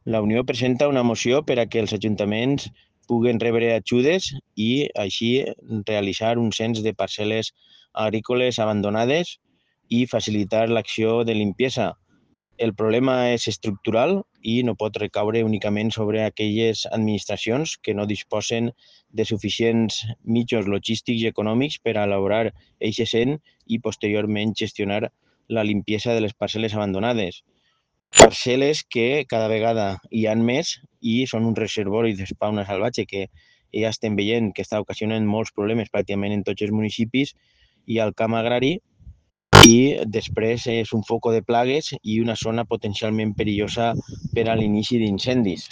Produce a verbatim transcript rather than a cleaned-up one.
La Unió presenta una moció per a que els ajuntaments puguen rebre ajudes i així realitzar un cens de parcel·les agrícoles abandonades i facilitar l'acció de limpiesa. El problema és estructural i no pot recaure únicament sobre aquelles administracions que no disposen de suficients mitjans logístics i econòmics per a elaborar eixe cens i posteriorment gestionar la limpiesa de les parcel·les abandonades. Parcel·les que cada vegada hi han més i són un reservori de fauna salvatge que ja estem veient que està ocasionant molts problemes pràcticament en tots els municipis i al camp agrari, i després és un foco de plagues i una zona potencialment perillosa per a l'inici d'incendis.